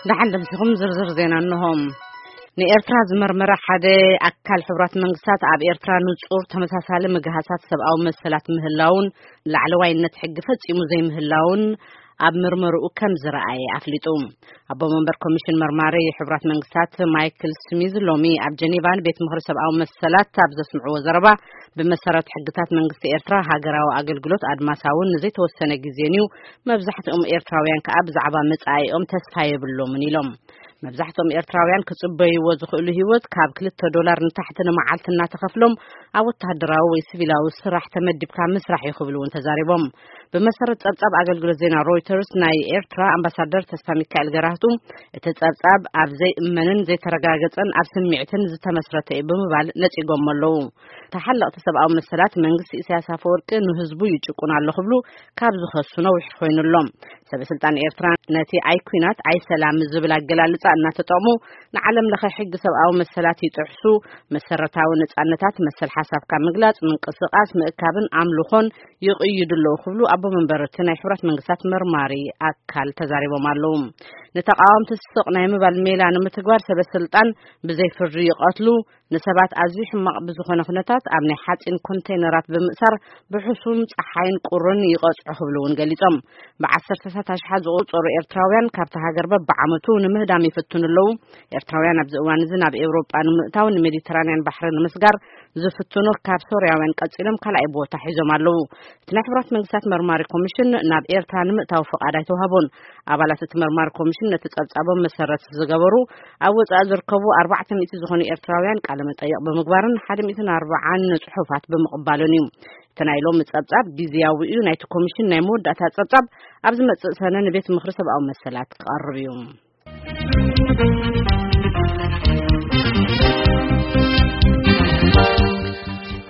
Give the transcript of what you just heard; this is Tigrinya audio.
ደሓን ደምሲኹም ዝርዝር ዜና እንሆ። ንኤርትራ ዝመርመረ ሓደ ኣካል ሕቡራት መንግስታት ኣብ ኤርትራ ንጹር ተመሳሳሊ ምግሃሳት ሰብኣዊ መሰላት ምህላውን ላዕለዋይነት ሕጊ ፈጺሙ ዘይምህላውን ኣብ ምርመርኡ ከም ዝረኣየ ኣፍሊጡ። ኣቦ መንበር ኮሚሽን መርማሪ ሕቡራት መንግስታት ማይክል ስሚዝ ሎሚ ኣብ ጀኔቫ ንቤት ምኽሪ ሰብኣዊ መሰላት ኣብ ዘስምዕዎ ዘረባ፣ ብመሰረት ሕግታት መንግስቲ ኤርትራ ሃገራዊ ኣገልግሎት ኣድማሳውን ንዘይተወሰነ ግዜን እዩ። መብዛሕትኦም ኤርትራውያን ከኣ ብዛዕባ መጻኢኦም ተስፋ የብሎምን ኢሎም። መብዛሕትኦም ኤርትራውያን ክጽበይዎ ዝኽእሉ ህይወት ካብ ክልተ ዶላር ንታሕቲ ንመዓልቲ እናተኸፍሎም ኣብ ወተሃደራዊ ወይ ሲቪላዊ ስራሕ ተመዲብካ ምስራሕ እዩ ክብሉ እውን ተዛሪቦም። ብመሰረት ጸብጻብ ኣገልግሎት ዜና ሮይተርስ፣ ናይ ኤርትራ ኣምባሳደር ተስፋ ሚካኤል ገራህቱ፣ እቲ ጸብጻብ ኣብ ዘይእመንን ዘይተረጋገጸን ኣብ ስምዒትን ዝተመስረተ እዩ ብምባል ነጺጎም ኣለዉ። ተሓለቕቲ ሰብኣዊ መሰላት መንግስቲ ኢሳያስ ኣፈወርቂ ንህዝቡ ይጭቁን ኣሎ ክብሉ ካብ ዝኸሱ ነዊሕ ኮይኑሎም። ሰበ ስልጣን ኤርትራ ነቲ ኣይ ኲናት ኣይ ሰላም ዝብል ኣገላልጻ እናተጠቕሙ፣ ንዓለም ለኸ ሕጊ ሰብኣዊ መሰላት ይጥሕሱ፣ መሰረታዊ ነጻነታት፣ መሰል ሓሳብካ ምግላጽ፣ ምንቅስቃስ፣ ምእካብን ኣምልኾን ይቕይዱ ኣለዉ ክብሉ ኣቦ መንበር እቲ ናይ ሕቡራት መንግስታት መርማሪ ኣካል ተዛሪቦም ኣለዉ። ንተቃወምቲ ስቕ ናይ ምባል ሜላ ንምትግባር ሰበ ስልጣን ብዘይ ፍርዲ ይቐትሉ፣ ንሰባት ኣዝዩ ሕማቕ ብዝኾነ ኩነታት ኣብ ናይ ሓጺን ኮንቴይነራት ብምእሳር ብሕሱም ጸሓይን ቁርን ይቐጽዑ ክብሉ እውን ገሊጾም። ብዓሰርተታት ኣሽሓት ዝቑጸሩ ኤርትራውያን ካብቲ ሃገር በብዓመቱ ንምህዳም ይፍትኑ ኣለዉ። ኤርትራውያን ኣብዚ እዋን እዚ ናብ ኤውሮጳ ንምእታው ንሜዲተራንያን ባሕሪ ንምስጋር ዝፍትኑ ካብ ሶርያውያን ቀጺሎም ካልኣይ ቦታ ሒዞም ኣለዉ። እቲ ናይ ሕቡራት መንግስታት መርማሪ ኮሚሽን ናብ ኤርትራ ንምእታው ፍቓድ ኣይተዋህቦን። ኣባላት እቲ መርማሪ ኮሚሽን ነቲ ጸብጻቦም መሰረት ዝገበሩ ኣብ ወጻኢ ዝርከቡ ኣርባዕተ ሚእቲ ዝኾኑ ኤርትራውያን ቃለ መጠይቕ ብምግባርን ሓደ ሚእትን ኣርባዓን ጽሑፋት ብምቕባልን እዩ። እቲ ናይ ሎሚ ጸብጻብ ግዝያዊ እዩ። ናይቲ ኮሚሽን ናይ መወዳእታ ጸብጻብ ኣብ ዝመጽእ ሰነ ንቤት ምኽሪ ሰብኣዊ መሰላት ክቐርብ እዩ።